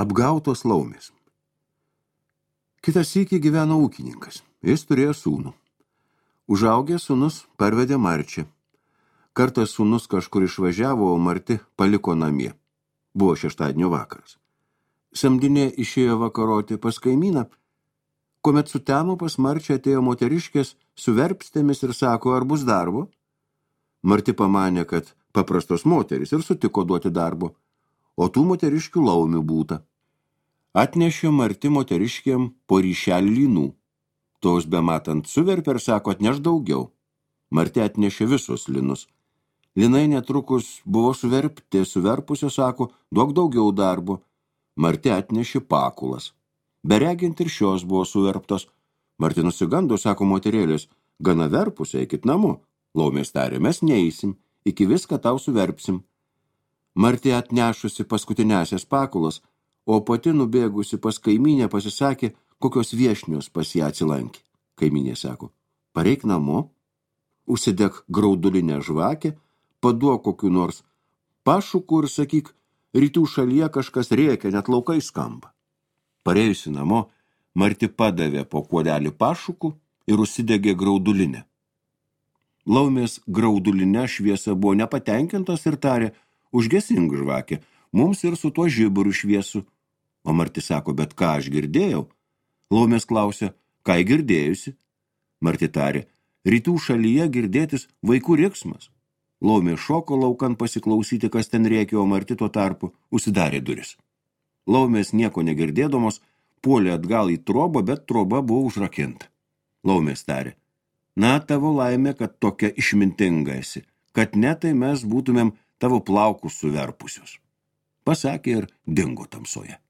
Apgautos laumės. Kitas sykį gyveno ūkininkas. Jis turėjo sūnų. Užaugęs sūnus parvedė Marčią. Kartas sūnus kažkur išvažiavo, o Marti paliko namie. Buvo šeštadienio vakaras. Samdinė išėjo vakaroti pas kaimyną, kuomet sutemo pas Marčią atėjo moteriškės su verpstėmis ir sako, ar bus darbo? Marti pamanė, kad paprastos moterys ir sutiko duoti darbo, o tų moteriškių laumių būta. Atnešė Marti moteriškiam po ryšelį lynų. Tos bematant suverpė ir sako, atneš daugiau. Marti atnešė visus lynus. Lynai netrukus buvo suverpusio sako, duok daugiau darbo. Marti atnešė pakulas. Beregint ir šios buvo suverptos. Marti nusigando, sako moterėlės, gana verpus, eikit namo. Laumės tarė, mes neeisim, iki viską tau suverpsim. Marti atnešusi paskutinėsias pakulas, o pati nubėgusi pas kaimynę pasisakė, kokios viešnios pas ją atsilankė. Kaimynė sako, pareik namo, užsidek graudulinę žvakę, paduok kokiu nors pašukų ir sakyk, rytų šalyje kažkas rėkia, net laukai skamba. Parėjusi namo, Marti padavė po kuodelį pašukų ir užsidegė graudulinę. Laumės graudulinė šviesa buvo nepatenkintos ir tarė, užgesink žvakę, mums ir su tuo žiburu šviesu. O Marti sako, bet ką aš girdėjau? Laumės klausė, ką girdėjusi? Marti tarė, rytų šalyje girdėtis vaikų riksmas. Laumė šoko laukan pasiklausyti, kas ten rėkė, o Marti tuo tarpu užsidarė duris. Laumės nieko negirdėdamos puolė atgal į trobą, bet troba buvo užrakinta. Laumės tarė, na, tavo laimė, kad tokia išmintinga esi, kad ne tai mes būtumėm tavo plaukus suverpusius. Pasakė ir dingo tamsoje.